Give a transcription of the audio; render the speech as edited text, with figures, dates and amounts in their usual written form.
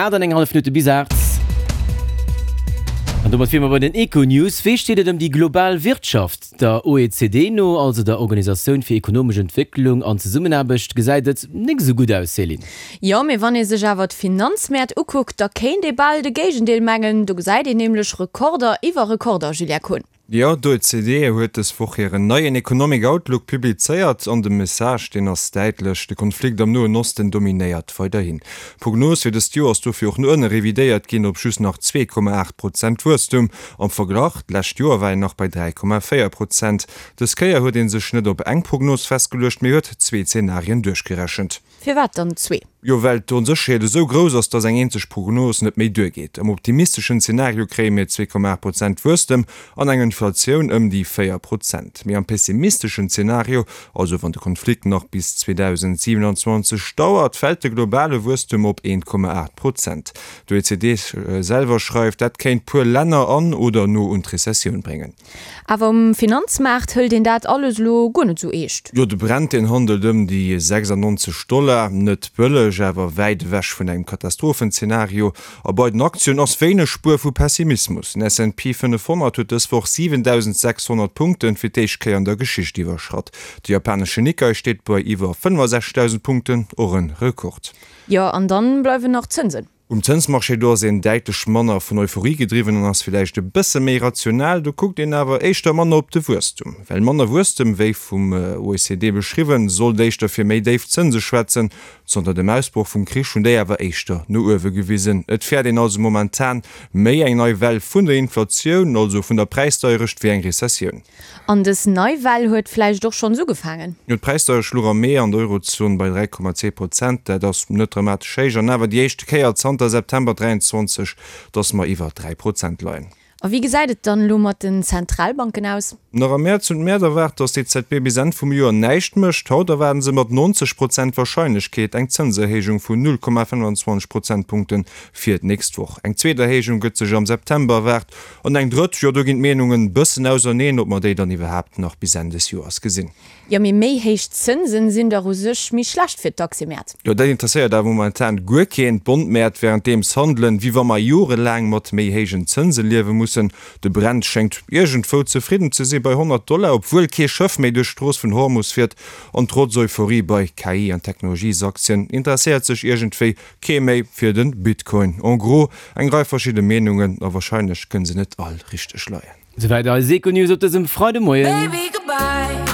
8 an eng hallef Minutte bis 8. An domat wiere mer bei den Econews. Wéi steet et ëm déi global Wirtschaft? Der OECD no, also der Organisatioun fir ekonomesch Entwécklung an Zesummenaarbecht, gesäit et nik esou gutt aus, Céline. Jo, mee wann ee sech awer d'Finanzmäert ukuckt, da kéint ee bal de Géigendeel mengen. Do gesäit een nämlech Rekorder iwwer Rekorder, Julien Kohn. Jo, d'OECD huet dës Woch hiren neien Economic Outlook publizéiert an de Message, deen ass däitlech, De Konflikt am Noen Osten dominéiert weiderhin. D'Prognos fir dëst Joer ass dofir och no ënne revidéiert ginn op just nach 2,8 Prozent Wuesstum. Am Verglach, d'lescht Joer war een nach bei 3,4 Prozent. Dës Kéier huet ee sech net op eng Prognos festgeluecht, mee huet zwee Zenarien duerchgerechent. Firwat dann zwee? Jo, well d'Onsécherheet esou grouss ass, dass eng eenzeg Prognos net méi duergeet. Am optimisteschen Zenario kréie mir 2,8 Prozent Wuesstem an eng Inflatioun ëm déi 4 Prozent. Mee am pessimisteschen Zenario, also wann de Konflikt nach bis 2027 dauert, fält de globale Wuesstem op 1,8 Prozent. D'OECD selwer schreift, dat kéint puer Länner an oder no un d'Rezessioun bréngen. Awer um Finanzmaart hëlt een dat alles elo guer net esou eescht. Jo, de Brent, deen handelt ëm déi 96 Dollar. Net bëlleg, awer wäit ewech vun engem Katastrophenzeenario. A bei den Aktien ass wéineg Spuer vu Pessimismus. Den S&P 500 huet dës Woch 7.600 Punkten fir d'éischt Kéier an der Geschicht iwwerschratt. De japanesche Nikkei steet bei iwwer 65.000 Punkten, och en Rekord. Jo, an dann bleiwen nach d'Zënsen. Um Zënsmarché, do ass een däitlech manner vun Euphorie gedriwwen an ass villäicht e bësse méi rational. Do kuckt een awer éischter manner op de Wuesstum. Well manner Wuesstem, wéi vum OECD beschriwwen, sollt éischter fir méi déif Zënse schwätzen. Zanter dem Ausbroch vum Krich hunn déi awer éischter no uewe gewisen. Et fäert een also momentan méi eng nei Well vun der Inflatioun, also vun der Präisdeierecht, wéi eng Rezessioun. An dës nei Well huet vläicht och schonns ugefaangen. Jo, d'Präisdeierecht louch am Mee an der Eurozon bei 3,2 Prozent. Dat ass net dramatesch héich an awer déi éischte Kéier zanter September 23, datt mer iwwer 3 Prozent leien. A wéi gesäit et dann elo mat den Zentralbanken aus? Nach am Mäerz hunn d'Mäert erwaart, datt d'EZB bis Enn vum Joer näischt mécht. Haut erwaarden se mat 90 Prozent Warscheinlechkeet eng Zënserhéijung vun 0,25 Prozentpunkte fir d'nächst Woch. Eng zweet Erhéijung gëtt sech am September erwaart. An eng drëtt, jo do ginn d'Meenungen bëssen auserneen, ob mer déi dann iwwerhaapt nach bis Enn des Joers gesinn. Jo, mee méi héich Zënsen sinn dach u sech méi schlecht fir d'Aktiemäert. Jo, dat interesséiert awer momentan guer keen. D'Bondmäert wärenddeems handelen, wéi wa mer jorelaang mat méi héijen Zënse liewe mussen. De Brent schéngt iergendwou zefridden ze si bei 100 Dollar, obwuel kee Schëff méi duerch d'Strooss vun Hormus fiert. An trotz Euphorie bei KI an Technologiesaktien interesséiert sech iergendwéi Kee méi fir den Bitcoin. En gros, eng Rei verschidde Meenungen, a wahrscheinlech kënne se net all richteg leien. Souwäit eis Econews op dësem Freidemoien.